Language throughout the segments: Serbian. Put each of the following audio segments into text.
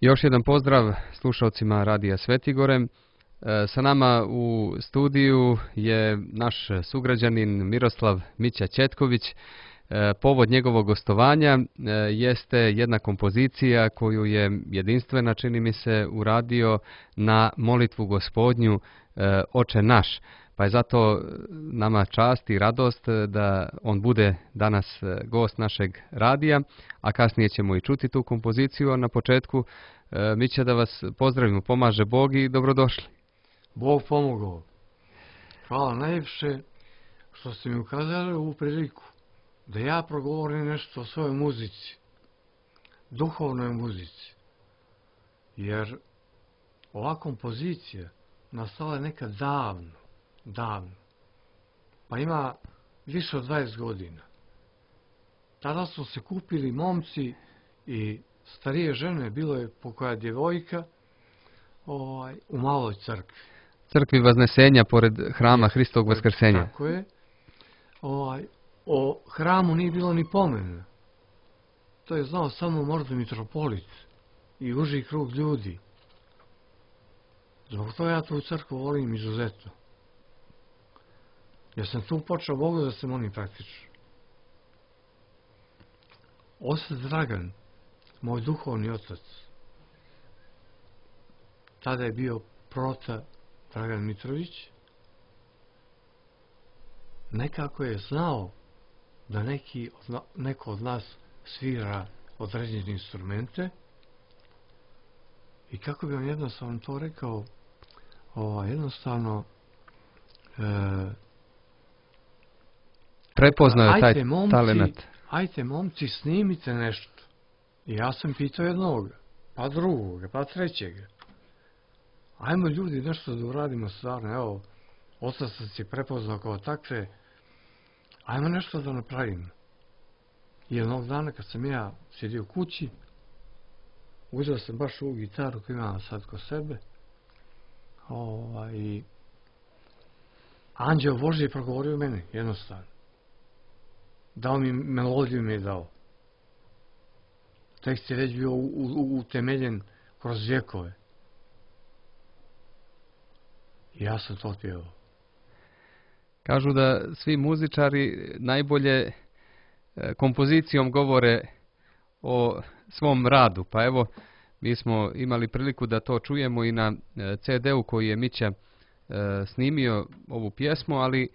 Još jedan pozdrav slušalcima Radija Svetigore. Sa nama u studiju je naš sugrađanin Miroslav Mića Četković. Povod njegovog gostovanja jeste jedna kompozicija koju je jedinstvena, čini mi se, uradio na molitvu Gospodnju Oče naš. Pa je zato nama čast i radost da on bude danas gost našeg radija, a kasnije ćemo i čuti tu kompoziciju, a na početku Mića da vas pozdravimo, pomaže Bog i dobrodošli. Bog pomogao. Hvala najljepše što ste mi ukazali ovu priliku da ja progovorim nešto o svojoj muzici, duhovnoj muzici. Jer ova kompozicija nastala je nekad davno. Pa ima više od 20 godina. Tada su se kupili momci i starije žene, bilo je pokoja djevojka u maloj crkvi. Crkvi Vaznesenja pored hrama Hristovog Vaskrsenja. Tako je. O hramu nije bilo ni pomena. To je znao samo možda mitropolit i uži krug ljudi. Zbog toga ja tu crkvu volim izuzetno. Jer sam tu počeo Bogu da se molim praktično. Otac Dragan, moj duhovni otac, tada je bio prota Dragan Mitrović, nekako je znao da neko od nas svira određene instrumente i kako bi on jednostavno to rekao, jednostavno prepoznao je taj talent. Ajte momci, snimite nešto. I ja sam pitao jednog, pa drugog, pa trećega. Ajmo ljudi nešto da uradimo stvarno, evo, otac se prepoznao kao takve, ajmo nešto da napravimo. I jednog dana kad sam ja sjedio u kući, uzeo sam baš ovu gitaru koju imam sad kod sebe, i Anđeo Božji je progovorio meni, jednostavno. Dao mi melodiju, mi je dao. Tekst je već bio utemeljen kroz vjekove. I ja sam to pjevao. Kažu da svi muzičari najbolje kompozicijom govore o svom radu. Pa evo, mi smo imali priliku da to čujemo i na CD-u koji je Mića snimio ovu pjesmu, ali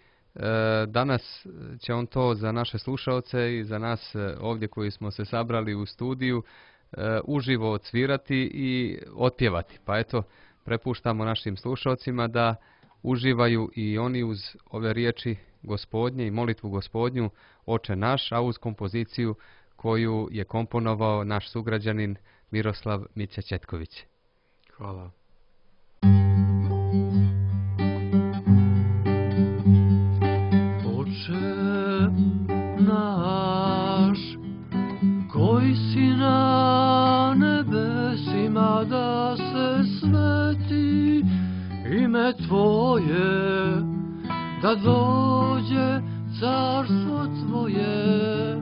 danas će on to za naše slušaoce i za nas ovdje koji smo se sabrali u studiju uživo odsvirati i otpjevati. Pa eto, prepuštamo našim slušaocima da uživaju i oni uz ove riječi Gospodnje i molitvu Gospodnju Oče naš, a uz kompoziciju koju je komponovao naš sugrađanin Miroslav Mića Četković. Hvala. Oče naš, koji si na nebesima, da se sveti ime Tvoje, da dođe carstvo Tvoje,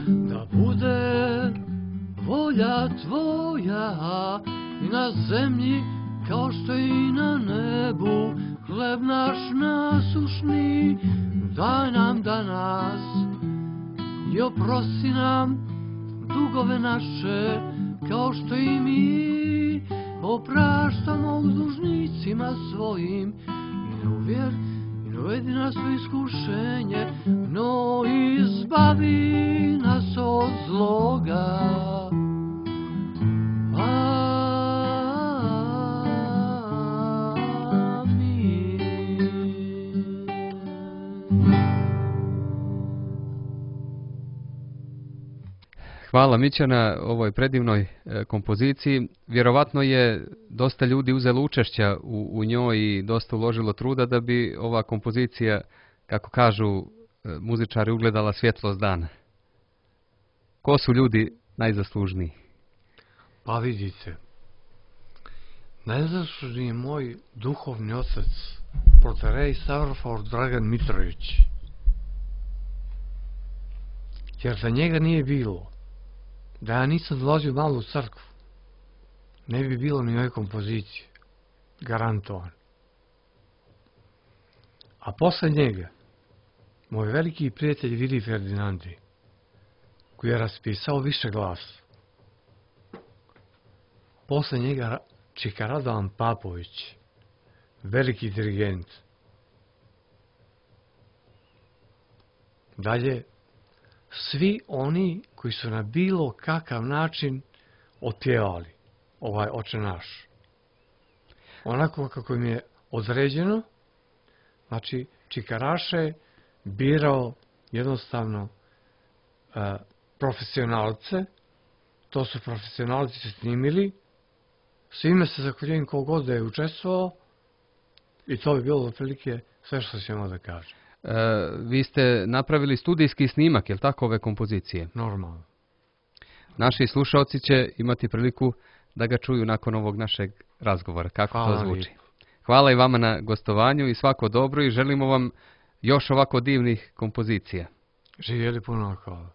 da bude volja Tvoja i na zemlji kao što i na nebu. Hleb naš nasušni daj nam danas i oprosti nam dugove naše, kao što i mi opraštamo dužnicima svojim. I ne uvedi nas u iskušenje, no izbavi nas od zloga. Hvala Mića na ovoj predivnoj kompoziciji. Vjerovatno je dosta ljudi uzelo učešća u njoj i dosta uložilo truda da bi ova kompozicija, kako kažu muzičari, ugledala svjetlost dana. Ko su ljudi najzaslužniji? Pa vidite, najzaslužniji je moj duhovni otac, protorej Stavrofor Dragan Mitrović. Jer za njega nije bilo da ja nisam dolazio malo u crkvu, ne bi bilo ni ove kompozicije. Garantovan. A posle njega, moj veliki prijatelj Vili Ferdinandi, koji je raspisao više glas. Posle njega Čika Radovan Papović, veliki dirigent. Dalje, svi oni koji su na bilo kakav način otpjevali ovaj Oče naš. Onako kako im je određeno, znači Čikaraše birao jednostavno profesionalce, to su profesionalci se snimili, svime se zahvaljujem kogod da je učestvovao i to bi bilo otprilike sve što ćemo da kažem. Vi ste napravili studijski snimak, je li tako, ove kompozicije? Normalno. Naši slušalci će imati priliku da ga čuju nakon ovog našeg razgovora. Kako Hvala to zvuči? lijepo. Hvala i vama na gostovanju i svako dobro i želimo vam još ovako divnih kompozicija. Živjeli, puno hvala.